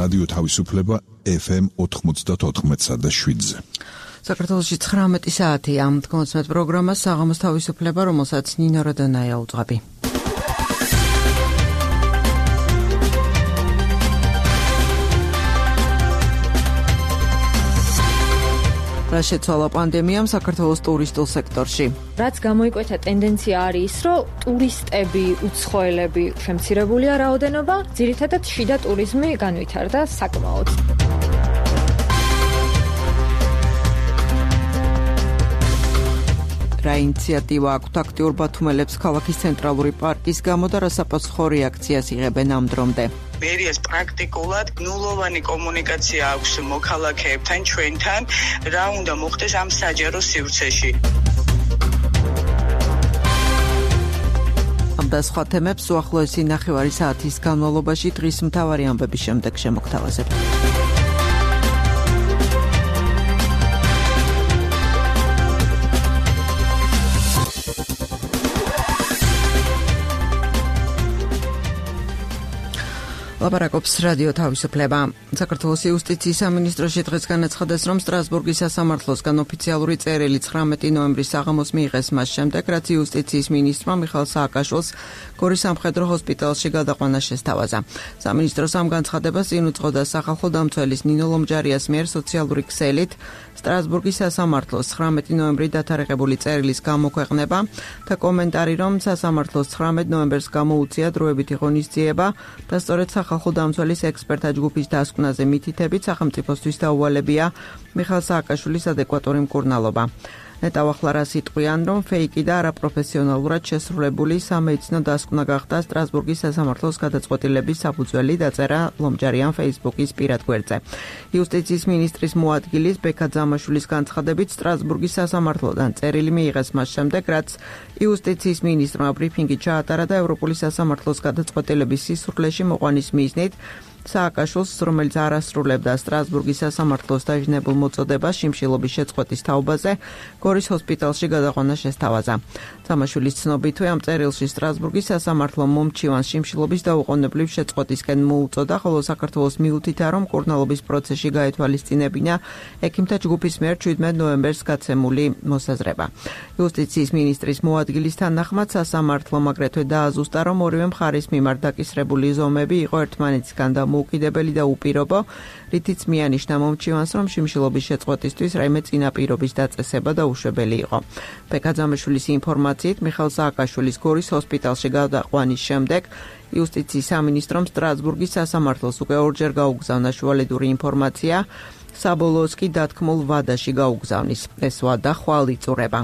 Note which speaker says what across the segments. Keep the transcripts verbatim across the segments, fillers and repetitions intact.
Speaker 1: რადიო თავისუფლება ეფ ემ ოთხმოცდაოთხ და შვიდზე.
Speaker 2: საქართველოში ცხრამეტი საათია. თქვენს პროგრამას საღამოს თავისუფლება, რომელსაც ნინო როდონაია უძღვები. რა შეცვალა პანდემიამ საქართველოს ტურისტულ სექტორში?
Speaker 3: რაც გამოიკვეთა ტენდენცია არის ის, რომ ტურისტები, უცხოელები შემცირებულია რაოდენობა, ძირითადად შიდა ტურიზმი განვითარდა საკმაოდ. რა ინიციატივა აქვთ აქტიურ ბათუმელებს ქალაქის ცენტრალური პარკის გამო და რა საფასუხო რეაქციას იღებენ ამ დრომდე?
Speaker 4: მერიას პრაქტიკულად ნულოვანი კომუნიკაცია აქვს მოქალაქეებთან, ჩვენთან, რა უნდა მოხდეს ამ საჯარო სივრცეში.
Speaker 2: ამ და სხვა თემებს უახლოესი ნახევარი საათის განმავლობაში დღის მთავარი ამბების შემდეგ შემოგთავაზებთ. ლაპარაკობს რადიო თავისუფლება. საქართველოს იუსტიციის სამინისტროში დღეს განაცხადეს, რომ სტრასბურგის სასამართლოსგან ოფიციალური წერილი ცხრამეტი ნოემბრის საღამოს მიიღეს მას შემდეგ, რაც იუსტიციის მინისტრმა მიხეილ სააკაშვილს გორის სამხედრო ჰოსპიტალში გადაყვანა შესთავაზა. სამინისტროს ამ განცხადებას წინ უძღოდა სახალხო დამცველის ნინო ლომჯარიას მიერ სოციალური ქსელით სტრასბურგის სასამართლოს ცხრამეტი ნოემბრი დათარიღებული წერილის გამოქვეყნება და კომენტარი, რომ სასამართლოს ცხრამეტ ნოემბერს გამოუწია დროებითი ღონისძიება და სწორედ სახალხო დამცველის ექსპერტთა ჯგუფის დასკვნაზე მითითებით სახელმწიფოსთვის დაუვალებია მიხეილ სააკაშვილის ადეკვატური მკურნალობა. ნეტავახლა სიტყვიან, რომ ფეიკი და არაპროფესიონალურად შესრულებული სამედიცინო დასკვნა გახდა სტრასბურგის სასამართლოს გადაწყვეტილების საფუძველი, დაწერა ლომჯარიან Facebook-ის პირად გვერდზე. იუსტიციის მინისტრის მოადგილის ბექა ძამაშვილის განცხადებით, სტრასბურგის სასამართლოდან წერილი მიიღეს მას შემდეგ, რაც იუსტიციის მინისტრმა ბრიფინგი ჩაატარა და ევროპული სასამართლოს გადაწყვეტილების სისრულეში მოყვანის მიზნით სააკაშვილს, რომელიც არ ასრულებდა სტრასბურგის სასამართლოს დაჟინებულ მოწოდებას შიმშილობის შეწყვეტის თაობაზე, გორის ჰოსპიტალში გადაყვანა შესთავაზა. ძამაშვილის ცნობითვე ამ წერილში სტრასბურგის სასამართლო მომჩივანს შიმშილობის დაუყოვნებლივ შეწყვეტისკენ მოუწოდა, ხოლო საქართველოს მიუთითა, რომ მკურნალობის პროცესში გაეთვალისწინებინა ექიმთა ჯგუფის მიერ შვიდმეტ ნოემბერს გაცემული მოსაზრება. იუსტიციის მინისტრის მოადგილის თანახმად სასამართლომ აგრეთვე დააზუსტა, რომ ორივე მხარის მიმართ დაკისრებული ზომები იყო ერთმანეთისგან დამოუკიდებელი და უპირობო, რითიც მიანიშნა მომჩივანს, რომ შიმშილობის შეწყვეტისთვის რაიმე წინაპირობის დაწესება დაუშვებელი იყო. ბექა ძამაშვილის ინფორმაციით, მიხეილ სააკაშვილის გორის ჰოსპიტალში გადაყვანის შემდეგ იუსტიციის სამინისტრომ სტრასბურგის სასამართლოს უკვე ორჯერ გაუგზავნა შუალედური ინფორმაცია, საბოლოოს კი დათქმულ ვადაში გაუგზავნის. ეს ვადა ხვალ იწურება.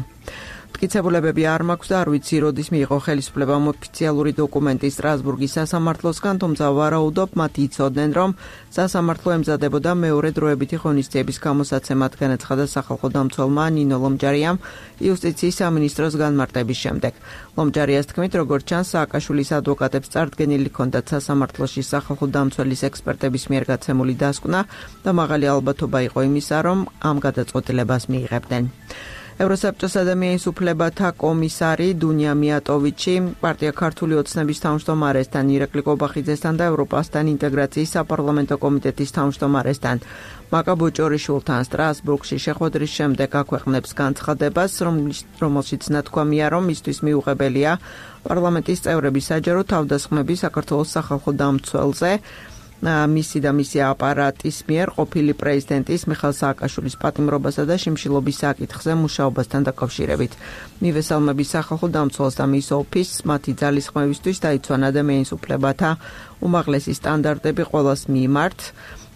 Speaker 2: მტკიცებულებები არ მაქვს და არ ვიცი, როდის მიიღო ხელისუფლებამ ოფიციალური დოკუმენტი სტრასბურგის სასამართლოსგან, თუმცა ვარაუდობ, მათ იცოდნენ, რომ სასამართლო ემზადებოდა მეორე დროებითი ღონისძიების გამოსაცემად, განაცხადა სახალხო დამცველმა ნინო ლომჯარიამ იუსტიციის სამინისტროს განმარტების შემდეგ. ლომჯარიას თქმით, როგორც ჩანს, სააკაშვილის ადვოკატებს წარდგენილი ჰქონდათ სასამართლოში სახალხო დამცველის ექსპერტების მიერ გაცემული დასკვნა და მაღალი ალბათობა იყო იმისა, რომ ამ გადაწყვეტილებას მიიღებდნენ. ევროსაბჭოს ადამიანის უფლებათა კომისარი დუნია მიატოვიჩი პარტია ქართული ოცნების თავმჯდომარესთან, ირაკლი კობახიძესთან და ევროპასთან ინტეგრაციის საპარლამენტო კომიტეტის თავმჯდომარესთან მაკა ბოჭორიშვილთან სტრასბურგში შეხვედრის შემდეგ აქვეყნებს განცხადებას, რომელშიც ნათქვამია, რომ მისთვის მიუღებელია პარლამენტის წევრების საჯარო თავდასხმები საქართველოს სახალხო დამცველზე, მისი და მისი აპარატის მიერ ყოფილი პრეზიდენტის მიხეილ სააკაშვილის პატიმრობასა და შიმშილობის საკითხზე მუშაობასთან დაკავშირებით. მივესალმების სახალხო დამცველს და მის ოფისს მათი ძალისხმევისთვის დაიცვან ადამიანის უფლებათა უმაღლესი სტანდარტები ყველას მიმართ.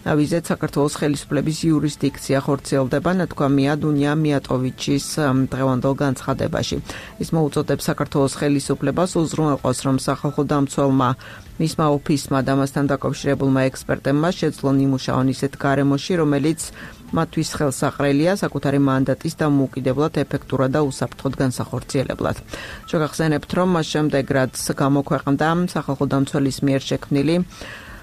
Speaker 2: ვიზეთ საქართველოს ხელისუფლების იურისდიქცია ხორციელდება, ნათქვამია დუნია მიატოვიჩის დღევანდელ განცხადებაში. ის მოუწოდებს საქართველოს ხელისუფლებას უზრუნველყოს, რომ სახალხო დამცველმა, მისმა ოფისმა და მასთან დაკავშირებულმა ექსპერტებმა შეძლონ იმუშაონ ისეთ გარემოში, რომელიც მათთვის ხელსაყრელია საკუთარი მანდატის დამოუკიდებლად, ეფექტურად და უსაფრთხოდ განსახორციელებლად. შეგახსენებთ, რომ მას შემდეგ, რაც გამოქვეყნდა სახალხო დამცველის მიერ შექმნილი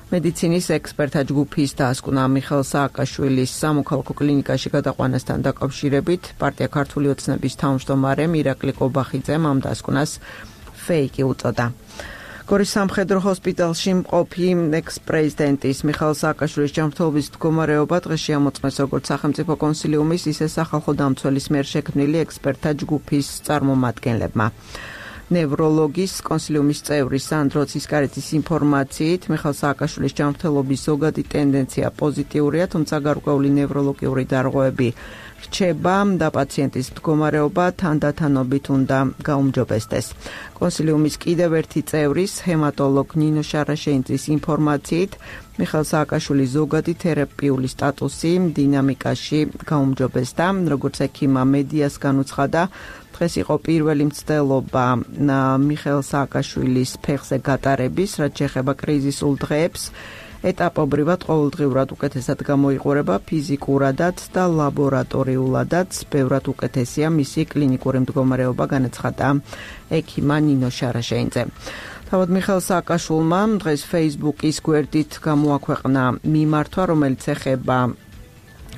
Speaker 2: მედიცინის ექსპერტთა ჯგუფის დასკვნა მიხეილ სააკაშვილის სამოქალაქო კლინიკაში გადაყვანასთან დაკავშირებით, პარტია ქართული ოცნების თავმჯდომარემ ირაკლი კობახიძემ ამ დასკვნას ფეიკი უწოდა. გორის სამხედრო ჰოსპიტალში მყოფი ექს-პრეზიდენტის მიხაილ სააკაშვილის ჯანმრთელობის მდგომარეობა დღეს შეამოწმეს როგორც სახელმწიფო კონსილიუმის, ისე სახალხო დამცველის მიერ შექმნილი ექსპერტთა ჯგუფის წარმომადგენლებმა. ნევროლოგის კონსილიუმის წევრი სანდრო ცისკარეთის ინფორმაციით, მიხაილ სააკაშვილის ჯანმრთელობის ზოგადი ტენდენცია პოზიტიურია, თუმცა გარკვეული ნევროლოგიური დარღვევები რჩება და პაციენტის მდგომარეობა თანდათანობით უნდა გაუმჯობესდეს. კონსილიუმის კიდევ ერთი წევრის, ჰემატოლოგ ნინო შარაშეინძის ინფორმაციით, მიხაილ სააკაშვილის ზოგადი თერაპიული სტატუსი დინამიკაში გაუმჯობესდა, როგორც ექიმმა მედიას განუცხადა, დღეს იყო პირველი მცდელობა მიხაილ სააკაშვილის ფეხზე გატარების, რაც შეეხება კრიზისულ დღეებს. ეტაპობრივად ყოველდღიურად უკეთესად გამოიყურება ფიზიკურადაც და ლაბორატორიულადაც, ბევრად უკეთესია მისი კლინიკური მდგომარეობა, განაცხადა ექიმმა ნინო შარაშეინძე. თავად მიხაილ სააკაშვილმა დღეს Facebook-ის გვერდით გამოაქვეყნა მიმართვა, რომელიც ეხება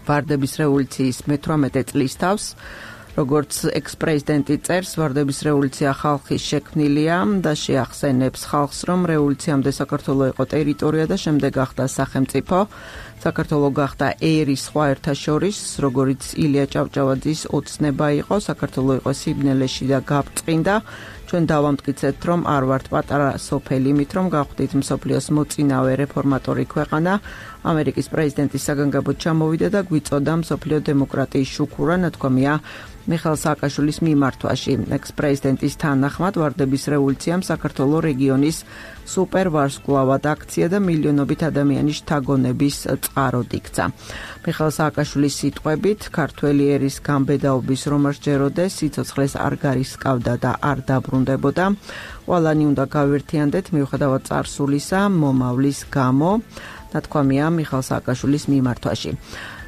Speaker 2: ვარდების რევოლუციის მეთვრამეტე წლის თავს. როგორც ექს-პრეზიდენტი წერს, ვარდების რევოლუცია ხალხის შექმნილია და შეახსენებს ხალხს, რომ რევოლუციამდე საქართველო იყო ტერიტორია და შემდეგ გახდა სახელმწიფო. საქართველო გახდა ერის სხვა ერთა შორის, როგორც ილია ჭავჭავაძის ოცნება იყო, საქართველო იყო სიბნელეში და გაბწყინდა. ჩვენ დავამტკიცეთ, რომ არ ვართ პატარა სოფელი, იმით რომ გავხდით მსოფლიოს მოწინავე რეფორმატორი ქვეყანა. ამერიკის პრეზიდენტის საგანგებოდ ჩამოვიდა და გვიწოდა მსოფლიო დემოკრატიის შუქურა, ნათქვამია მიხაილ სააკაშვილის მიმართვაში. ექს-პრეზიდენტის თანახმად, ვარდების რევოლუციამ საქართველოს რეგიონის სუპერვარსკვლავად აქცია და მილიონობით ადამიანის შთაგონების წყაროდ იქცა. მიხაილ სააკაშვილის სიტყვებით, ქართველი ერის გამბედაობის რომ არ სჯეროდეს, სიცოცხლეს არ გარისკავდა და არ დაბრუნდებოდა. ყველანი უნდა გავერთიანდეთ მიუხედავად წარსულისა, მომავლის გამო, ნათქვამია მიხაილ სააკაშვილის მიმართვაში.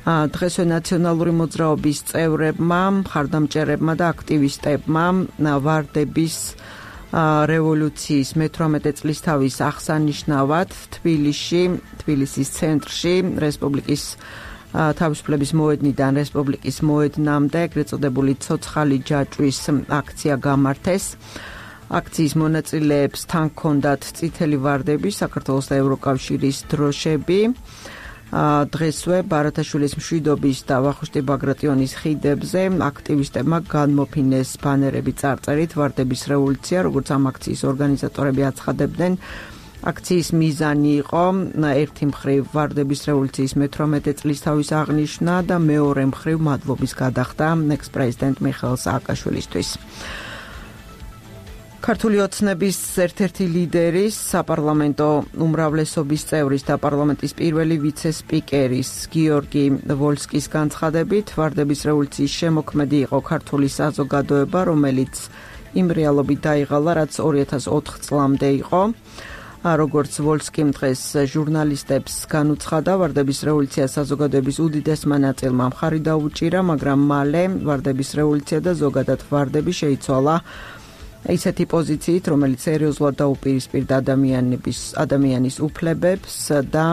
Speaker 2: დღესვე ნაციონალური მოძრაობის წევრებმა, მხარდამჭერებმა და აქტივისტებმა ვარდების რევოლუციის მეთვრამეტე წლისთავის აღსანიშნავად თბილისში, თბილისის ცენტრში, რესპუბლიკის თავისუფლების მოედნიდან რესპუბლიკის მოედნამდე, ეგრეთ წოდებული ცოცხალი ჯაჭვის აქცია გამართეს. აქციის მონაწილეებს თან ჰქონდათ წითელი ვარდები, საქართველოს და ევროკავშირის დროშები. დღესვე ბარათაშვილის მშვიდობის და ვახუშტი ბაგრატიონის ხიდებზე აქტივისტებმა განმოფინეს ბანერები წარწერით ვარდების რევოლუცია, როგორც ამ აქციის ორგანიზატორები აცხადებდნენ. აქციის მიზანი იყო ერთი მხრივ ვარდების რევოლუციის მეთვრამეტე წლისთავის აღნიშვნა და მეორე მხრივ მადლობის გადახდა ექს-პრეზიდენტ მიხაილ სააკაშვილისთვის. ქართული ოცნების ერთ-ერთი ლიდერის, საპარლამენტო უმრავლესობის წევრის და პარლამენტის პირველი ვიცე-სპიკერის გიორგი ვოლსკის განცხადებით, ვარდების რევოლუციის შემოქმედი იყო ქართული საზოგადოება, რომელიც იმ რეალობით დაიღალა, რაც ორი ათას ოთხ წლამდე იყო. როგორც ვოლსკიმ დღეს ჟურნალისტებს განუცხადა, ვარდების რევოლუცია საზოგადოების უდიდესმა ნაწილმა მხარი დაუჭირა, მაგრამ მალე ვარდების რევოლუცია და ზოგადად ვარდები შეიცვალა ისეთი პოზიციით, რომელიც სერიოზულად დაუპირისპირდა ადამიანების ადამიანის უფლებებს და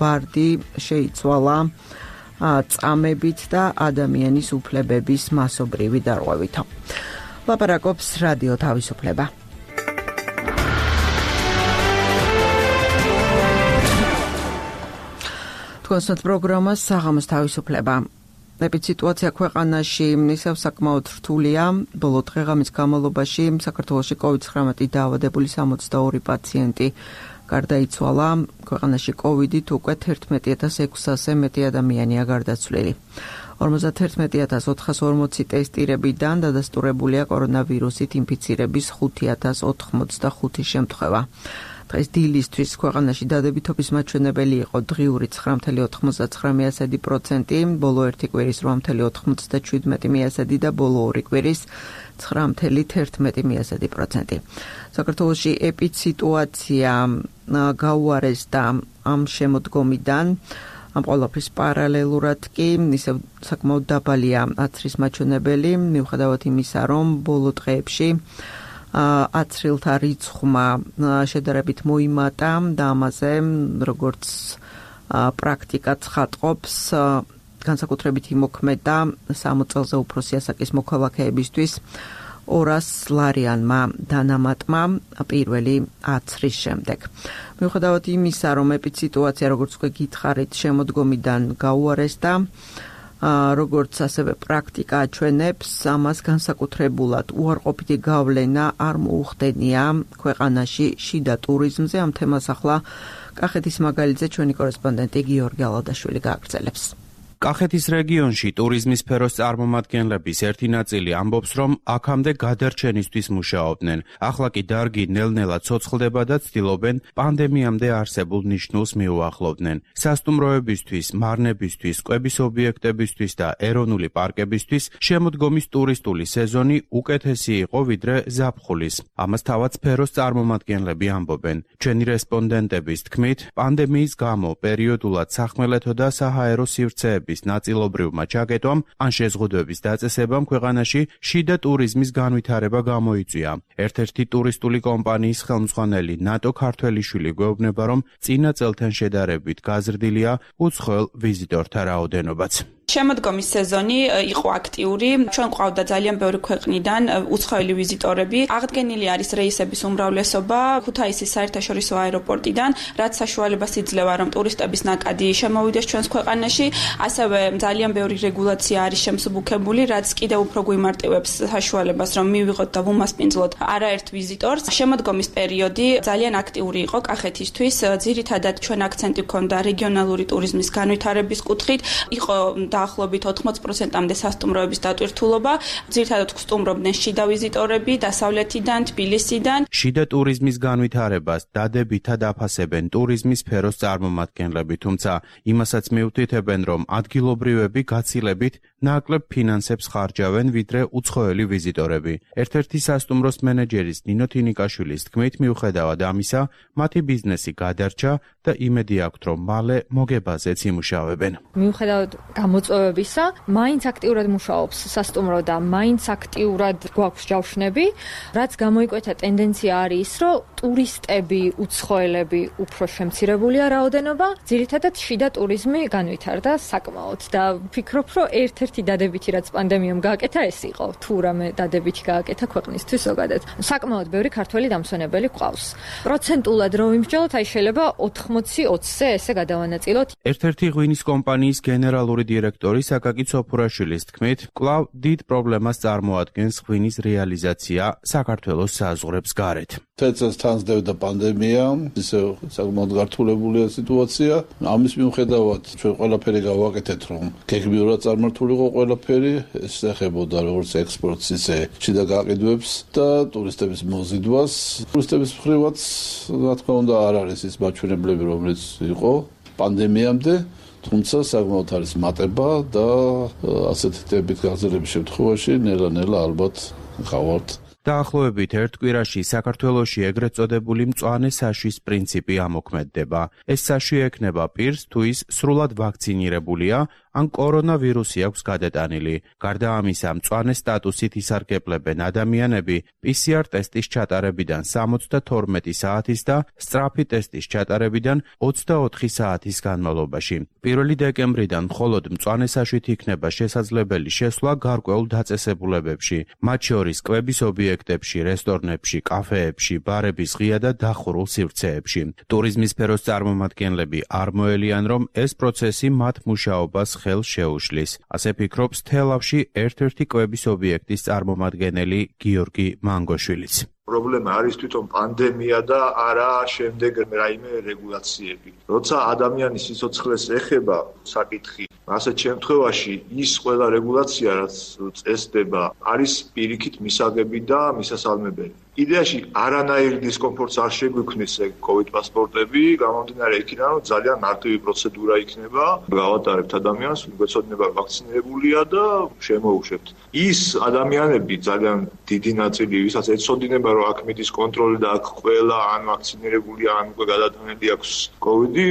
Speaker 2: ვარდი შეიცვალა წამებით და ადამიანის უფლებების მასობრივი დარღვევით. ლაპარაკობს რადიო თავისუფლება. თქვენს პროგრამას საღამოს თავისუფლება. ეპიდემიურ ქვეყანაში ისევ საკმაოდ რთულია. ბოლო დღეღამის განმავლობაში საქართველოში კოვიდ ცხრამეტი დაავადებული სამოცდაორი პაციენტი გარდაიცვალა. ქვეყანაში კოვიდით უკვე თერთმეტი ათას ექვსასზე მეტი ადამიანია გარდაცვლილი. ორმოცდაათერთმეტი ათას ოთხას ორმოცი ტესტირებიდან დადასტურებულია კორონავირუსით ინფიცირების ხუთი ათას ოთხმოცდახუთი შემთხვევა. დღეს დილისთვის ქვეყანაში დადებითობის მაჩვენებელი იყო დღიური ცხრა virgulă ოთხმოცდაცხრა პროცენტი, ბოლო ერთი კვირის რვა virgulă ოთხმოცდაშვიდ და ბოლო ორი კვირის ცხრა virgulă თერთმეტი პროცენტი. საქართველოში ეპიდსიტუაცია გაუარესდა ამ შემოდგომიდან. ამ ყველაფრის პარალელურად კი ისევ საკმაოდ დაბალია აცრის მაჩვენებელი, მიუხედავად იმისა, რომ ბოლო დღეებში აცრილთა რიცხვმა შედარებით მოიმატა და ამაზე, როგორც პრაქტიკა ცხადყოფს, განსაკუთრებით იმოქმედა სამოწელზე უფროსი ასაკის მოქალაქეებისთვის ორას ლარიანმა დანამატმა პირველი ათრის შემდეგ. მიუხედავად იმისა, რომ ეპიდემიის როგორც უკვე გითხარით, შემოდგომიდან გაუარესდა, როგორც ასევე პრაქტიკა აჩვენებს, ამას განსაკუთრებულად უარყოფითი გავლენა არ მოუხდენია ქვეყანაში შიდა ტურიზმზე. ამ თემას ახლა კახეთის მაგალითზე ჩვენი კორესპონდენტი გიორგი ალადაშვილი გააგრძელებს.
Speaker 5: კახეთის რეგიონში ტურიზმის სფეროს წარმომადგენლების ერთი ნაწილი ამბობს, რომ აქამდე გადარჩენისთვის მუშაობდნენ. ახლა კი დარგი ნელ-ნელა ცოცხლდება და ცდილობენ პანდემიამდე არსებულ ნიშნულს მიუახლოვდნენ. სასტუმროებისთვის, მარნებისთვის, კვების ობიექტებისთვის და ეროვნული პარკებისთვის შემოდგომის ტურისტული სეზონი უკეთესი იყო ვიდრე ზაფხულის. ამას თავად სფეროს წარმომადგენლები ამბობენ. ჩვენი რესპონდენტების თქმით, პანდემიის გამო პერიოდულად სახმელეთო და საჰაერო სივრცეები ნაწილობრივმა ჩაკეტვამ ან შეზღუდვების დაწესებამ ქვეყანაში შიდა ტურიზმის განვითარება გამოიწვია. ერთ-ერთი ტურისტული კომპანიის ხელმძღვანელი ნატო ქართველიშვილი გვეუბნება, რომ წინა წელთან შედარებით გაზრდილია უცხოელ ვიზიტორთა რაოდენობაც.
Speaker 6: შემოდგომის სეზონი იყო აქტიური. ჩვენ ყავდა ძალიან ბევრი ქვეყნიდან უცხოელი ვიზიტორები. აღდგენილი არის რეისების უმრავლესობა ქუთაისის საერთაშორისო აეროპორტიდან, რაც საშუალებას იძლევა, რომ ტურისტების ნაკადი შემოვიდეს ჩვენს ქვეყანაში. ასევე ძალიან ბევრი რეგულაცია არის შემსუბუქებული, რაც კიდევ უფრო გვიმარტივებს საშუალებას, რომ მივიღოთ და ვუმასპინძლოთ არაერთ ვიზიტორს. შემოდგომის პერიოდი ძალიან აქტიური იყო კახეთისთვის. ძირითადად ჩვენ აქცენტი გვქონდა რეგიონალური ტურიზმის განვითარების კუთხით. იყო დაახლოებით ოთხმოცი პროცენტამდე სასტუმროების დატვირთულობა. ძირითადად გსტუმრობდნენ შიდა ვიზიტორები დასავლეთიდან, თბილისიდან.
Speaker 5: შიდა ტურიზმის განვითარებას დადებითად აფასებენ ტურიზმის სფეროს წარმომადგენლები, თუმცა იმასაც მიუთითებენ, რომ ადგილობრივები გაცილებით ნაკლებ ფინანსებს ხარჯავენ ვიდრე უცხოელი ვიზიტორები. ერთ-ერთი სასტუმროს მენეჯერის ნინო თინიკაშვილის თქმით, მიუხედავად ამისა, მათი ბიზნესი გადარჩა და იმედი აქვთ, რომ მალე მოგებაზეც იმუშავებენ.
Speaker 3: მიუხედავად გამოწვევებისა, მაინც აქტიურად მუშაობს სასტუმრო და მაინც აქტიურად გვაქვს ჯავშნები, რაც გამოიკვეთა ტენდენცია არის ის, რომ ტურისტები, უცხოელები უფრო შემცირებულია რაოდენობა, ძირითადად შიდა ტურიზმი განვითარდა საკმაოდ და ვფიქრობ, რომ ერთ-ერთი დადებითი რაც პანდემიამ გააკეთა ეს იყო, თუ რამე დადებითი გააკეთა ქვეყნისთვის ზოგადად. საკმაოდ ბევრი ქართველი დამსვენებელი გვყავს. პროცენტულად რო ვიმსჯელოთ, აი შეიძლება ოთხმოცი ოცზე ესე გადავანაწილოთ.
Speaker 5: ერთ-ერთი ღვინის კომპანიის გენერალური დირექტორი საკაკი ცოფურაშვილის თქმით, კვლავ დიდ პრობლემას წარმოადგენს ღვინის რეალიზაცია საქართველოს საზღვრებს გარეთ.
Speaker 7: თეთრს თანსდევდა პანდემია, ისე საკმაოდ გართულებულია სიტუაცია. ამის მიუხედავად ჩვენ ყველაფერი გავაკეთეთ, რომ გეგმიურად წარმართულიყო ყველაფერი, ეს ეხებოდა როგორც ექსპორტს, ისე შიდა გაყიდვებს და ტურისტების მოზიდვას. ტურისტების მხრივაც, რა თქმა უნდა, არ არის ის მაჩვენებლები, რომელიც იყო პანდემიამდე. თუმცა საკმაოდ არის მატება და ასეთი ტემპით გაგრძელების შემთხვევაში ნელა-ნელა ალბათ გავართ.
Speaker 5: დაახლოებით ერთ კვირაში საქართველოში ეგრეთ წოდებული მწვანე საშვის პრინციპი ამოქმედდება. ეს საშვი ექნება პირს, თუ ის სრულად ვაქცინირებულია, ან კორონავირუსი აქვს გადატანილი. გარდა ამისა, მწვანე სტატუსით ისარგებლებენ ადამიანები პი სი არ ტესტის ჩატარებიდან სამოცდათორმეტი საათის და სწრაფი ტესტის ჩატარებიდან ოცდაოთხი საათის განმავლობაში. პირველი დეკემბრიდან მხოლოდ მწვანე საშვით იქნება შესაძლებელი შესვლა გარკვეულ დაწესებულებებში, მათ შორის კვების ობიექტებში, რესტორნებში, კაფეებში, ბარების ღია და დახურულ სივრცეებში. ტურიზმის სფეროს წარმომადგენლები არ მოელიან, რომ ეს პროცესი მათ მუშაობას ხელს შეუშლის. ასე ფიქრობს თელავში ერთ-ერთი კვების ობიექტის წარმომადგენელი გიორგი მანგოშვილიც.
Speaker 8: პრობლემა არის თვითონ პანდემია და არა შემდეგ რაიმე რეგულაციები. როცა ადამიანის სიცოცხლეს ეხება საკითხი, ასეთ შემთხვევაში ის ყველა რეგულაცია, რაც წესდება, არის პირიქით მისაღები და მისასალმებელი. იდეაში არანაირ დისკომფორტს არ შეგვიქმნის COVID პასპორტები, გამომდინარე იქიდან, რომ ძალიან მარტივი პროცედურა იქნება, გავატარებთ ადამიანს, გვეცოდინება ვაქცინირებულია და შემოუშვებთ. ის ადამიანები ძალიან დიდი ნაწილი, ვისაც ეცოდინება, რომ აქ მიდის კონტროლი და აქ ყველა ან ვაქცინირებულია, ან უკვე გადატანილი აქვს COVID-ი,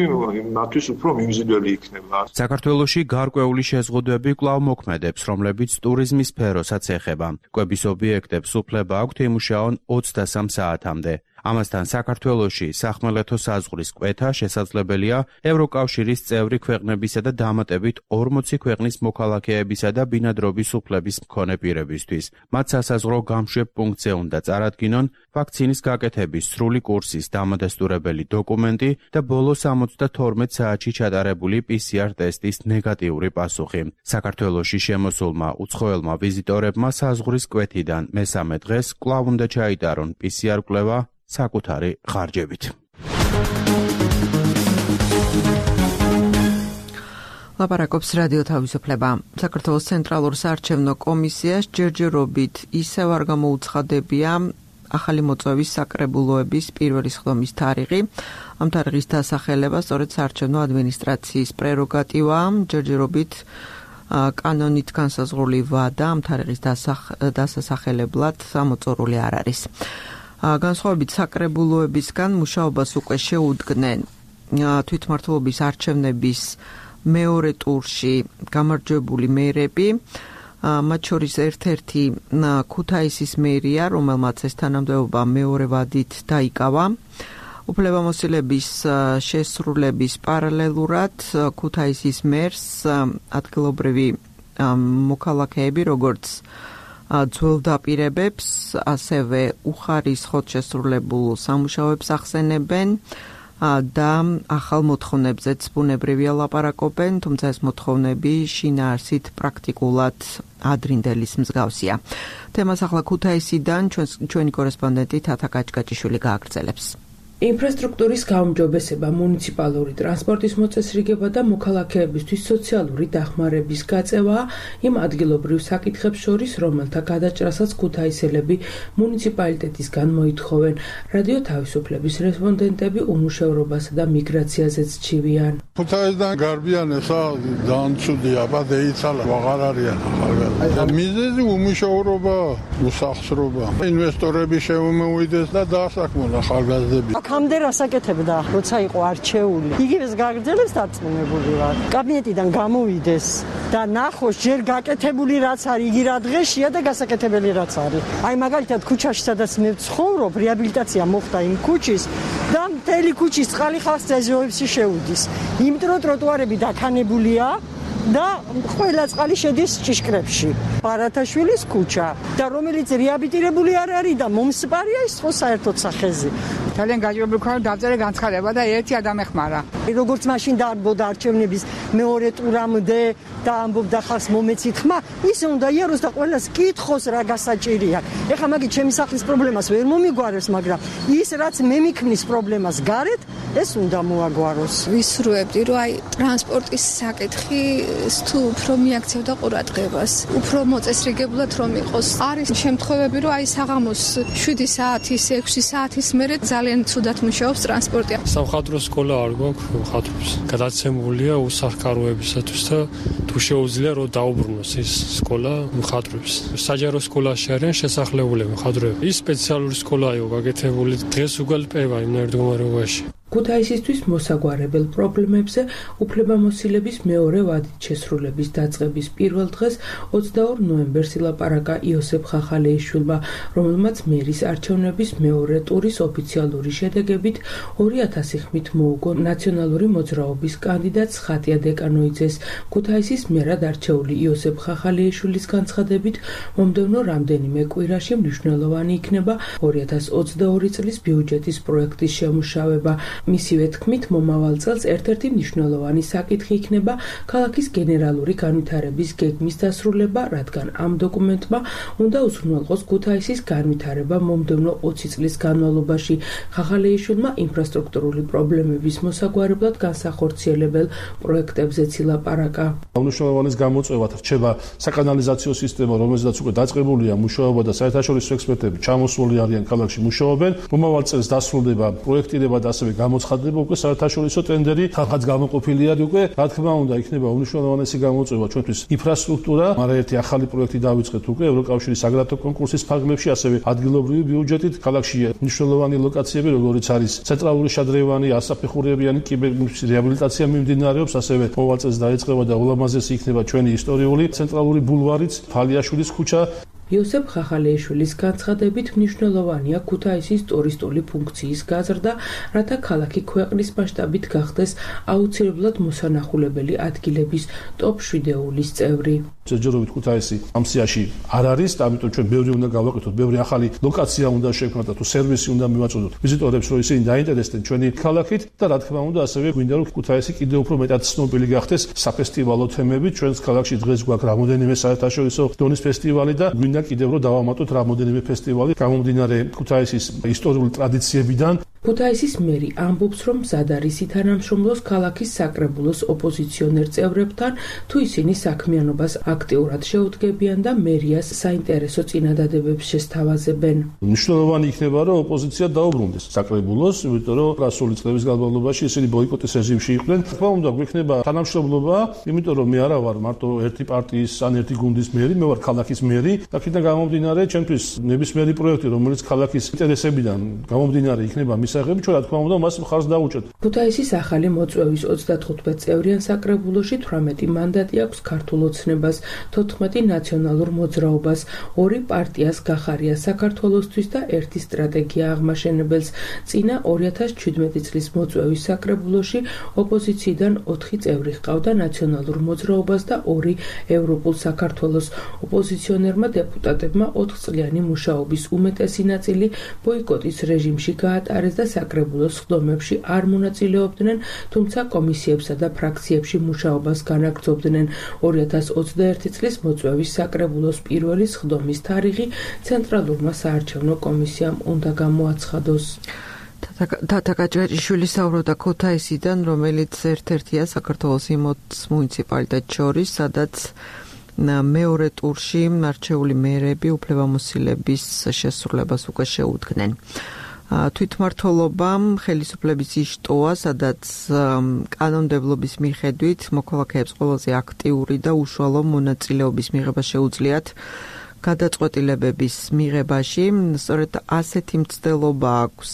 Speaker 8: მათთვის უფრო მიმზიდველი იქნება.
Speaker 5: საქართველოში გარკვეული შეზღუდვები კვლავ მოქმედებს, რომლებიც ტურიზმის სფეროსაც ეხება. კვების ობიექტებს უფლება აქვთ იმუშაონ ოცდასამ საათამდე. ამასთან საქართველოში სახმელეთო საზღვრის კვეთა შესაძლებელია ევროკავშირის წევრი ქვეყნებისა და დამატებით ორმოცი ქვეყნის მოქალაქეებისა და ბინადრობის უფლების მქონე პირებისთვის. მათ სასაზღვრო გამშვებ პუნქტზე უნდა წარადგინონ ვაქცინის გაკეთების სრული კურსის დამადასტურებელი დოკუმენტი და ბოლო სამოცდათორმეტ საათში ჩატარებული პი სი არ ტესტის ნეგატიური პასუხი. საქართველოში შემოსულმა უცხოელმა ვიზიტორებმა საზღვრის კვეთიდან მესამე დღეს კვლავ უნდა ჩაიტარონ პი სი არ კვლევა საკუთარი ხარჯებით.
Speaker 2: ლაპარაკობს რადიო თავისუფლება. საქართველოს ცენტრალურ საარჩევნო კომისიას ჯერჯერობით ისევ არ გამოუცხადებია ახალი მოწვევის საკრებულოების პირველი სხდომის თარიღი. ამ თარიღის დასახელება სწორედ საარჩევნო ადმინისტრაციის პრეროგატივაა. ჯერჯერობით კანონით განსაზღვრული ვადა ამ თარიღის დასასახელებლად ამოწურული არ არის. განსხვავებით საკრებულოებისგან მუშაობას უკვე შეუდგნენ თვითმმართველობის არჩევნების მეორე ტურში გამარჯვებული მერები, მათ შორის ერთ-ერთი ქუთაისის მერია, რომელმაც ეს თანამდებობა მეორე ვადით დაიკავა. უფლებამოსილების შესრულების პარალელურად ქუთაისის მერს ადგილობრივი მოქალაქეები, როგორც ძველ დაპირებებს, ასევე უხარისხოდ შესრულებულ სამუშაოებს ახსენებენ და ახალ მოთხოვნებზეც ბუნებრივია ლაპარაკობენ, თუმცა ეს მოთხოვნები შინაარსით პრაქტიკულად ადრინდელის მსგავსია. თემას ახლა ქუთაისიდან ჩვენი კორესპონდენტი თათა კაჭკაჭიშვილი გააგრძელებს.
Speaker 9: ინფრასტრუქტურის გაუმჯობესება, მუნიციპალური ტრანსპორტის მოწესრიგება და მოქალაქეებისთვის სოციალური დახმარების გაწევა იმ ადგილობრივ საკითხებს შორის, რომელთა გადაჭრასაც ქუთაისელები მუნიციპალიტეტისგან მოითხოვენ. რადიო თავისუფლების რესპონდენტები უმუშევრობასა და მიგრაციაზეც ჩივიან.
Speaker 10: ქუთაისიდან გარბიანესა ძალიან ცუდია, ბადე იცალა, აღარ არიან ახალგაზრდები. მიზეზი უმუშევრობა, უსახსრობა. ინვესტორები შემომივიდეს და დაასაქმონ ახალგაზრდები.
Speaker 11: აქამდე რასაკეთებდა, როცა იყო არჩეული. იგივეს გაგრძელებს დარწმუნებული ვარ. კაბინეტიდან გამოვიდეს და ნახოს ჯერ გაკეთებული რაც არის, იგი რა დღეშია და გასაკეთებელი რაც არის. აი მაგალითად ქუჩაში სადაც მე ვცხოვრობ, რეაბილიტაცია მოხდა იმ ქუჩის და მთელი ქუჩის წყალი ხალხს ძეზოებში შეუდის. იმიტომ რომ ტროტუარები დაქანებულია და ყველა წყალი შედის ჭიშკრებში. ბარათაშვილის ქუჩა და რომელიც რეაბილიტირებული არ არის და მომსპარია ის ხო საერთოდ სახეზე.
Speaker 12: ძალიან გაჭირებული ხარ დავწერე განცხადება და ერთი ადამეხმარა.
Speaker 11: როგორც მაშინ დაარბოდა არჩევნების მეორე ტურამდე და ამბობდა ხალხს მომეცით ხმა, ისე უნდა იაროს და ყველას კითხოს რა გასაჭირია. ეხლა მაგით ჩემი სახლის პრობლემას ვერ მომიგვარებს, მაგრამ ის რაც მე მიქმნის პრობლემას გარეთ, ეს უნდა მოაგვაროს.
Speaker 13: ვისურვებდი რომ აი ტრანსპორტის საკითხი თუ უფრო მიაქცევდა ყურადღებას, უფრო მოწესრიგებლად რომ იყოს. არის შემთხვევები რომ აი საღამოს შვიდი საათის, ექვსი საათის მერე ძალიან ცუდად მუშაობს ტრანსპორტი.
Speaker 14: სამხატვრო სკოლა არ გვაქვს ხატვებს. გადაცემულია უსახკაროებისათვის და თუ შეუძლია რომ დაუბრუნოს ეს სკოლა ხატვებს. საჯარო სკოლაში არიან შესახლებულები ხატვები. ის სპეციალური სკოლაა გაკეთებული დღეს უგალპება იმ მდგომარეობაში.
Speaker 9: ქუთაისისთვის მოსაგვარებელ პრობლემებზე უფლებამოსილების მეორე ვადით შესრულების დაწყების პირველ დღეს ოცდაორ ნოემბერს ილაპარაკა იოსებ ხახალეიშვილმა, რომელმაც მერის არჩევნების მეორე ტურის ოფიციალური შედეგებით ორი ათასი ხმით მოუგო ნაციონალური მოძრაობის კანდიდატს ხატია დეკანოიძეს. ქუთაისის მერად არჩეული იოსებ ხახალეიშვილის განცხადებით, მომდევნო რამდენიმე კვირაში მნიშვნელოვანი იქნება ორი ათას ოცდაორი წლის ბიუჯეტის პროექტის შემუშავება. მისივე თქმით, მომავალ წელს ერთ-ერთი მნიშვნელოვანი საკითხი იქნება ქალაქის გენერალური განვითარების გეგმის დასრულება, რადგან ამ დოკუმენტმა უნდა უზრუნველყოს ქუთაისის განვითარება მომდევნო ოცი წლის განმავლობაში. ხახალეიშვილმა ინფრასტრუქტურული პრობლემების მოსაგვარებლად განსახორციელებელ პროექტებზეც ილაპარაკა.
Speaker 15: მნიშვნელოვანის გამოწვევად რჩება საკანალიზაციო სისტემა, რომელზედაც უკვე დაწყებულია მუშაობა და საერთაშორისო ექსპერტები ჩამოსული არიან ქალაქში მუშაობენ. მომავალ წელს დასრულდება პროექტირება და ასევე გამოცხადდება უკვე საერთაშორისო ტენდერი, ხალხაც გამოყოფილი არის უკვე. რა თქმა უნდა, იქნება უმნიშვნელოვანესი გამოწვევა ჩვენთვის ინფრასტრუქტურა, მაგრამ ერთი ახალი პროექტი დავიწყეთ უკვე ევროკავშირის აგრატო კონკურსის ფარგლებში, ასევე ადგილობრივი ბიუჯეტით. ქალაქში მნიშვნელოვანი ლოკაციები, როგორიც არის ცენტრალური შადრევანი, ასაფეხურებიანი კიბერნეტის რეაბილიტაცია მიმდინარეობს, ასევე მოვალ წელს დაიწყება და ულამაზესი იქნება ჩვენი ისტორიული ცენტრალური ბულვარიც, ფალიაშვილის ქუჩა.
Speaker 9: იოსებ ხახალეიშვილის განცხადებით მნიშვნელოვანია ქუთაისის ტურისტული ფუნქციის გაზრდა, რათა ქალაქი ქვეყნის მასშტაბით გახდეს აუცილებლად მოსანახულებელი ადგილების ტოპ შვიდეულის წევრი.
Speaker 15: ჯერჯერობით ქუთაისი ამ სიაში არ არის, ამიტომ ჩვენ ბევრი უნდა გავაკეთოთ, ბევრი ახალი ლოკაცია უნდა შევქმნათ და თუ სერვისი უნდა მივაწოდოთ ვიზიტორებს, რომ ისინი დაინტერესდნენ ჩვენი ქალაქით და რა თქმა უნდა ასევე გვინდა რომ ქუთაისი კიდევ უფრო მეტად ცნობილი გახდეს საფესტივალო თემებით. ჩვენს ქალაქში დღეს გვაქვს რამოდენიმე საერთაშორისო დონის ფესტივალი და გვინდა კიდევ რომ დავამატოთ რამოდენიმე ფესტივალი გამომდინარე ქუთაისის ისტორიული ტრადიციებიდან.
Speaker 9: ქუთაისის მერი ამბობს, რომ მზად არის ითანამშრომლოს ქალაქის საკრებულოს ოპოზიციონერ წევრებთან, თუ ისინი საქმიანობას აქტიურად შეუდგებიან და მერიას საინტერესო წინადადებებს შესთავაზებენ.
Speaker 15: მნიშვნელოვანი იქნება, რომ ოპოზიცია დაუბრუნდეს საკრებულოს, იმიტომ რომ გასული წლების განმავლობაში ისინი ბოიკოტის რეჟიმში იყვნენ. თქმა უნდა, გვექნება თანამშრომლობა, იმიტომ რომ მე არა ვარ მარტო ერთი პარტიის ან ერთი გუნდის მერი, მე ვარ ქალაქის მერი. აქედან გამომდინარე, ჩემთვის ნებისმიერი პროექტი, რომელიც ქალაქის ინტერესებიდან გამომდინარე იქნება მის აღები, ჩვენ რა თქმა უნდა მას მხარს დავუჭერთ.
Speaker 9: ქუთაისის ახალი მოწვევის ოცდათხუთმეტ წევრიან საკრებულოში თვრამეტი მანდატი აქვს ქართულ ოცნებას, თოთხმეტი ნაციონალურ მოძრაობას, ორი პარტიას გახარია საქართველოსთვის და ერთი სტრატეგია აღმაშენებელს. წინა ორი ათას ჩვიდმეტი წლის მოწვევის საკრებულოში ოპოზიციიდან ოთხი წევრი ჰყავდა ნაციონალურ მოძრაობას და ორი ევროპულ საქართველოს. ოპოზიციონერმა დეპუტატებმა ოთხწლიანი მუშაობის უმეტესი ნაწილი ბოიკოტის რეჟიმში გაატარეს და საკრებულოს სხდომებში არ მონაწილეობდნენ, თუმცა კომისიებსა და ფრაქციებში მუშაობას განაგრძობდნენ. ორი ათას ოცდაერთი წლის მოწვევის საკრებულოს პირველი სხდომის თარიღი ცენტრალურმა საარჩევნო კომისიამ უნდა გამოაცხადოს.
Speaker 2: თათა გაჭერიშვილი საუბრობდა ქუთაისიდან, რომელიც ერთ-ერთია საქართველოს იმოც მუნიციპალიტეტს შორის, სადაც მეორე ტურში არჩეული მერები უფლებამოსილების შესრულებას უკვე შეუდგნენ. თვითმმართველობამ ხელისუფლების იშტოა, სადაც კანონმდებლობის მიხედვით მოქალაქეებს ყველაზე აქტიური და უშუალო მონაწილეობის მიღება შეუძლიათ გადაწყვეტილებების მიღებაში. სწორედ ასეთი მცდელობა აქვს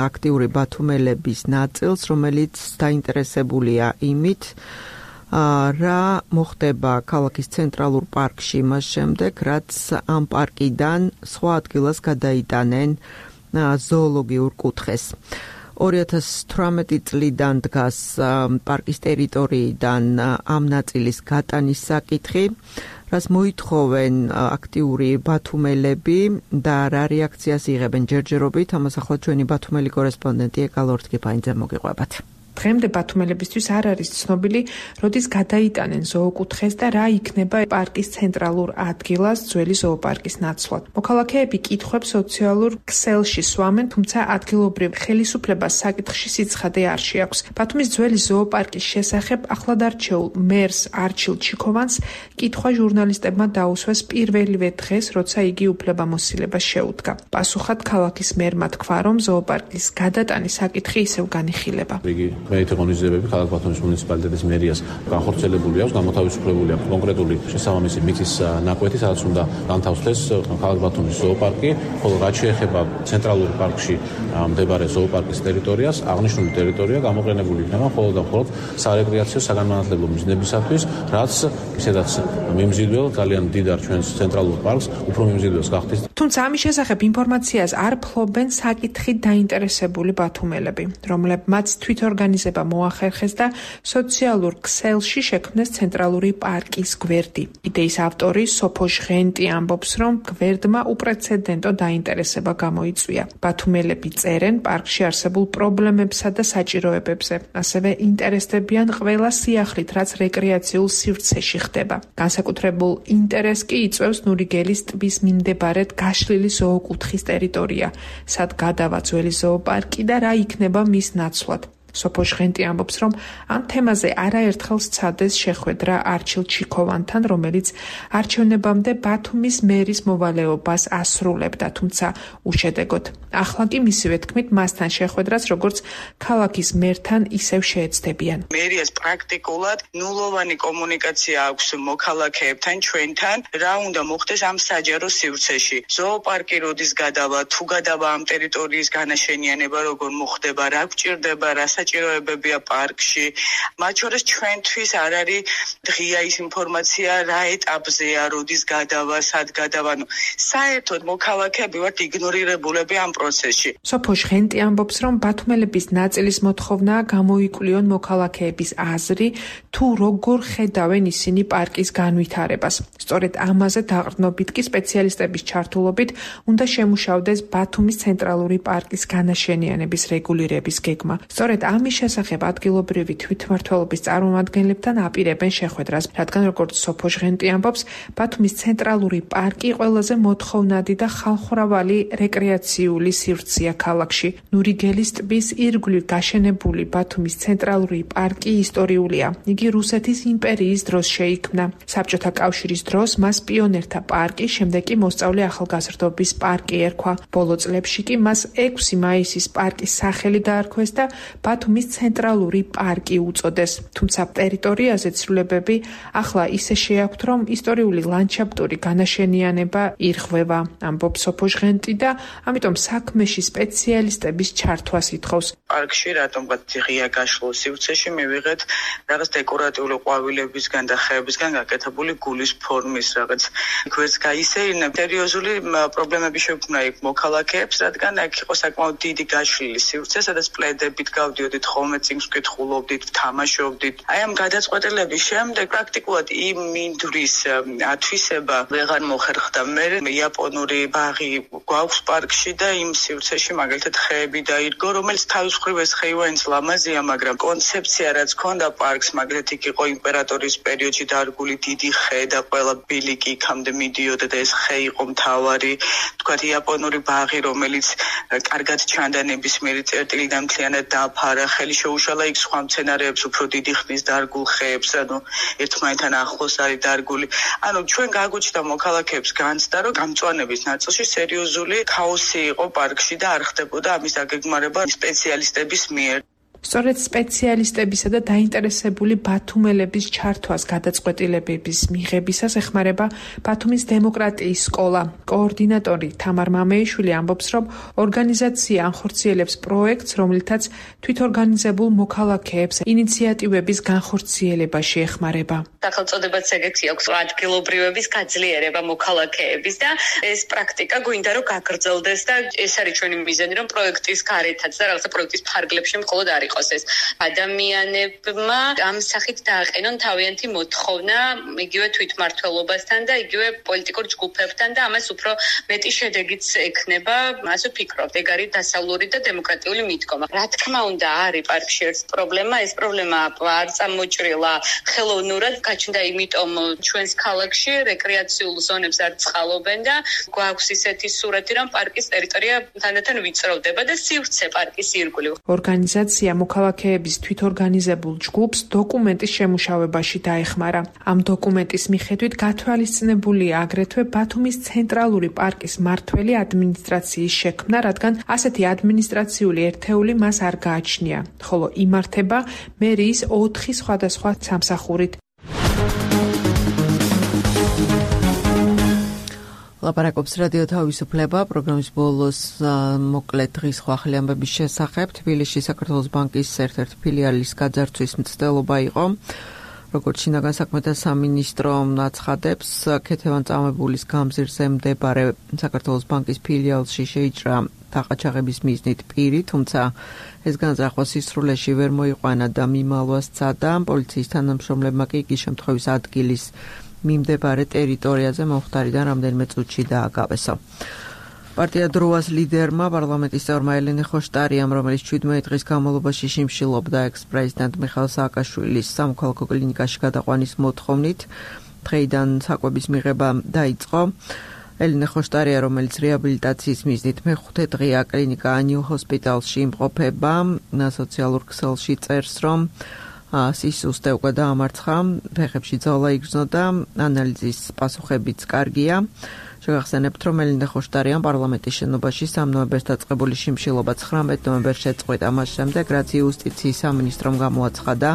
Speaker 2: აქტიური ბათუმელების ნაწილს, რომელიც დაინტერესებულია იმით, რა მოხდება ქალაქის ცენტრალურ პარკში იმას შემდეგ, რაც ამ პარკიდან სხვა ადგილას გადაიტანენ ზოოლოგიურ კუთხეს. ორი ათას თვრამეტი წლიდან დგას პარკის ტერიტორიიდან ამ ნაწილის გატანის საკითხი, რაც მოითხოვენ აქტიური ბათუმელები და რა რეაქციას იღებენ ჯერჯერობით. ამას ახლა ჩვენი ბათუმელი კორესპონდენტი ეკალ ორთქიფაინძე მოგიყვებათ.
Speaker 16: დღემდე ბათუმელებისთვის არ არის ცნობილი, როდის გადაიტანენ ზოოკუთხეს და რა იქნება პარკის ცენტრალურ ადგილას ძველი ზოოპარკის ნაცვლად. მოქალაქეები კითხვებს სოციალურ ქსელში სვამენ, თუმცა ადგილობრივ ხელისუფლებას საკითხში სიცხადე არ შეაქვს. ბათუმის ძველი ზოოპარკის შესახებ ახლად არჩეულ მერს არჩილ ჩიქოვანს კითხვა ჟურნალისტებმა დაუსვეს პირველივე დღეს, როცა იგი უფლებამოსილებას შეუდგა. პასუხად ქალაქის მერმა თქვა, რომ ზოოპარკის გადატანის საკითხი ისევ განიხილება.
Speaker 17: მეათე ღონისძიებები ქალაქ ბათუმის მუნიციპალიტეტის მერიას განხორციელებული აქვს, გამოთავისუფლებული აქვს კონკრეტული შესაბამისი მიწის ნაკვეთი, სადაც უნდა განთავსდეს ქალაქ ბათუმის ზოოპარკი, ხოლო რაც შეეხება ცენტრალურ პარკში მდებარე ზოოპარკის ტერიტორიას, აღნიშნული ტერიტორია გამოყენებული იქნება მხოლოდ და მხოლოდ სარეკრეაციო საგანმანათლებლო მიზნებისათვის, რაც ისედაც მიმზიდველ ძალიან დიდარ ჩვენს ცენტრალურ პარკს უფრო მიმზიდველს გახდის.
Speaker 16: თუმცა ამის შესახებ ინფორმაციას არ ფლობენ საკითხით დაინტერესებული ბათუმელები, რომლებმაც თვითორგანიზება მოახერხეს და სოციალურ ქსელში შექმნეს ცენტრალური პარკის გვერდი. იდეის ავტორი სოფო ჟღენტი ამბობს, რომ გვერდმა უპრეცედენტო დაინტერესება გამოიწვია. ბათუმელები წერენ პარკში არსებულ პრობლემებსა და საჭიროებებზე. ასევე ინტერესდებიან ყველა სიახლით, რაც რეკრეაციულ სივრცეში ხდება. განსაკუთრებულ ინტერესს კი იწვევს ნურიგელის ტბის მიმდებარედ გაშლილი ზოოკუთხის ტერიტორია, სად გადავა ძველი ზოოპარკი და რა იქნება მის ნაცვლად. სოფო ჟღენტი ამბობს, რომ ამ თემაზე არაერთხელ სცადეს შეხვედრა არჩილ ჩიქოვანთან, რომელიც არჩევნებამდე ბათუმის მერის მოვალეობას ასრულებდა, თუმცა უშედეგოდ. ახლა კი მისივე თქმით, მასთან შეხვედრას როგორც ქალაქის მერთან ისევ შეეცდებიან.
Speaker 4: მერიას პრაქტიკულად ნულოვანი კომუნიკაცია აქვს მოქალაქეებთან, ჩვენთან, რა უნდა მოხდეს ამ საჯარო სივრცეში. ზოოპარკი როდის გადავა, თუ გადავა ამ ტერიტორიის განაშენიანება, როგორ მოხდება, რა გვჭირდება, რას საჭიროებებია პარკში. მათ შორის ჩვენთვის არ არის ღია ის ინფორმაცია რა ეტაპზეა, როდის გადავა, სად გადავა. საერთოდ მოქალაქეები ვართ იგნორირებულები ამ პროცესში.
Speaker 16: სოფო ჟღენტი ამბობს, რომ ბათუმელების ნაწილის მოთხოვნაა გამოიკვლიონ მოქალაქეების აზრი, თუ როგორ ხედავენ ისინი პარკის განვითარებას. სწორედ ამაზე დაყრდნობით კი სპეციალისტების ჩართულობით უნდა შემუშავდეს ბათუმის ცენტრალური პარკის განაშენიანების რეგულირების გეგმა. სწორედ ამის შესახებ ადგილობრივი თვითმმართველობის წარმომადგენლებთან აპირებენ შეხვედრას, რადგან როგორც სოფო ჟღენტი ამბობს, ბათუმის ცენტრალური პარკი ყველაზე მოთხოვნადი და ხალხმრავალი რეკრეაციული სივრცეა ქალაქში. ნურიგელის ტბის ირგვლივ გაშენებული ბათუმის ცენტრალური პარკი ისტორიულია. იგი რუსეთის იმპერიის დროს შეიქმნა. საბჭოთა კავშირის დროს მას პიონერთა პარკი, შემდეგ კი მოსწავლე ახალგაზრდობის პარკი ერქვა. ბოლო წლებში კი მას ექვსი მაისის პარკის სახელი დაარქვეს და ბათუმის ცენტრალური პარკი უწოდეს. თუმცა ტერიტორიაზე ცვლილებები ახლა ისე შეაქვთ, რომ ისტორიული ლანდშაფტური განაშენიანება ირღვევა, ამბობს სოფო ჟღენტი და ამიტომ საქმეში სპეციალისტების ჩართვას ითხოვს.
Speaker 4: პარკში რატომღაც ღია გაშლილ სივრცეში მივიღეთ რაღაც დეკორატიული ყვავილებისგან და ხეებისგან გაკეთებული გულის ფორმის რაღაც ქვერც გაისეირნებ. სერიოზული პრობლემები შექმნა იქ მოქალაქეებს, რადგან აქ იყო საკმაოდ დიდი გაშლილი სივრცე, სადაც პლედებით გავდიოდით, ხოლმე წიგნს ვკითხულობდით, თამაშობდით. აი ამ გადაწყვეტილების შემდეგ პრაქტიკულად იმ მინდვრის ათვისება ვეღარ მოხერხდა. მე იაპონური ბაღი გვაქვს პარკში და იმ სივრცეში მაგალითად ხეები დაირგო, რომელიც თავის მხრივ ეს ხეივანიც ლამაზია, მაგრამ კონცეფცია რაც ქონდა პარკს, მაგალითად იქ იყო იმპერატორის პერიოდში დარგული დიდი ხე და ყველა ბილიკი იქამდე მიდიოდა და ეს ხე იყო მთავარი, თქვათ იაპონური ბაღი, რომელიც კარგად ჩანდა ნებისმიერი წერტილიდან მთლიანად დაფარა, ხელი შეუშალა იქ სხვა მცენარეებს, უფრო დიდი ხნის დარგულ ხეებს, ანუ ერთმანეთთან ახლოს არის დარგული. ანუ ჩვენ გაგვიჩნდა მოქალაქეებს განცდა, რომ გამწვანების ნაწილში სერიოზული ქაოსი იყო პარკში და არ ხდებოდა ამის დაგეგმარება სპეციალისტების მიერ.
Speaker 16: სწორედ სპეციალისტებისა და დაინტერესებული ბათუმელების ჩართვას გადაწყვეტილებების მიღებისას ეხმარება ბათუმის დემოკრატიის სკოლა. კოორდინატორი თამარ მამეიშვილი ამბობს, რომ ორგანიზაცია ანხორციელებს პროექტს, რომლითაც თვითორგანიზებულ მოქალაქეებს ინიციატივების განხორციელებაში ეხმარება.
Speaker 18: სახელწოდებაც ეგეთი აქვს, ადგილობრივების გაძლიერება მოქალაქეების და ეს პრაქტიკა გვინდა რომ გაგრძელდეს და ეს არის ჩვენი მიზანი, რომ პროექტის გარეთაც და რაღაცა პროექტის ფარგლებში მხოლოდ არ იყოს ეს. ადამიანებმა ამ სახით დააყენონ თავიანთი მოთხოვნა იგივე თვითმმართველობასთან და იგივე პოლიტიკურ ჯგუფებთან და ამას უფრო მეტი შედეგიც ექნება, ასე ვფიქრობ. ეგ არის დასავლური და დემოკრატიული მიდგომა. რა თქმა უნდა, არის პარკში ერთ პრობლემა, ეს პრობლემა არ წამოჭრილა ხელოვნურად, გაჩნდა იმიტომ ჩვენს ქალაქში რეკრეაციულ ზონებს არ წყალობენ და გვაქვს ისეთი სურათი, რომ პარკის ტერიტორია თანდათან ვიწროვდება და სივრცე პარკის ირგვლივ.
Speaker 16: ორგანიზაცია მოქალაქეების თვითორგანიზებულ ჯგუფს დოკუმენტის შემუშავებაში დაეხმარა. ამ დოკუმენტის მიხედვით გათვალისწინებულია აგრეთვე ბათუმის ცენტრალური პარკის მმართველი ადმინისტრაციის შექმნა, რადგან ასეთი ადმინისტრაციული ერთეული მას არ გააჩნია, ხოლო იმართება მერიის ოთხი სხვადასხვა სამსახურით.
Speaker 2: ლაპარაკობს რადიო თავისუფლება, პროგრამის ბოლოს მოკლედ დღის ხვახლი ამბების შესახებ. თბილისში საქართველოს ბანკის ერთ-ერთი ფილიალის გაძარცვის მცდელობა იყო. როგორც შინაგან საქმეთა სამინისტრო აცხადებს, ქეთევან-წამებულის გამზირზე მდებარე საქართველოს ბანკის ფილიალში შეიჭრა დაყაჩაღების მიზნით პირი, თუმცა ეს განზრახვა სისრულეში ვერ მოიყვანა და მიმალვა სცადა. პოლიციის თანამშრომლებმა კი იგი შემთხვევის ადგილის მიმდებარე ტერიტორიაზე მომხდარიდან რამდენიმე წუთში დააგავესო. პარტია დროას ლიდერმა, პარლამენტის წევრმა ელენე ხოშტარიამ, რომელიც შვიდმეტი დღის განმავლობაში შიმშილობდა ექს-პრეზიდენტ მიხაილ სააკაშვილის სამოქალაქო კლინიკაში გადაყვანის მოთხოვნით, დღეიდან საკვების მიღება დაიწყო. ელენე ხოშტარია, რომელიც რეაბილიტაციის მიზნით მეხუთე დღეა კლინიკა ნიუ ჰოსპიტალში იმყოფება, სოციალურ ქსელში წერს, რომ სისუსტე უკვე დაამარცხა, ფეხებში ძალა იგრძნო და ანალიზის პასუხებიც კარგია. შეგახსენებთ, რომ ელენე ხოშტარიამ პარლამენტის შენობაში სამ ნოემბერს დაწყებული შიმშილობა ცხრამეტ ნოემბერს შეწყვიტა, მას შემდეგ, რაც იუსტიციის სამინისტრომ გამოაცხადა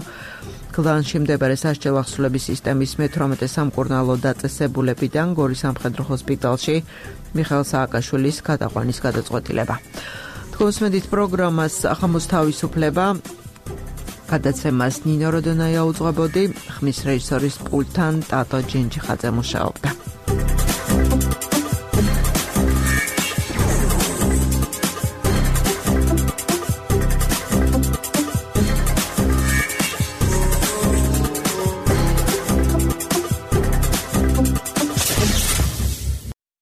Speaker 2: გლანში მდებარე სასჯელ ახსულების სისტემის მეთვრამეტე სამკურნალო დაწესებულებიდან გორის სამხედრო ჰოსპიტალში მიხაილ სააკაშვილის გადაყვანის გადაწყვეტილება. თქვენს მედით პროგრამას ახამოს თავისუფლება გადაცემას ნინო როდონაია უძღვებოდი, ხმის რეჟისორის პულტთან ტატო ჯენჯიხაძე მუშაობდა.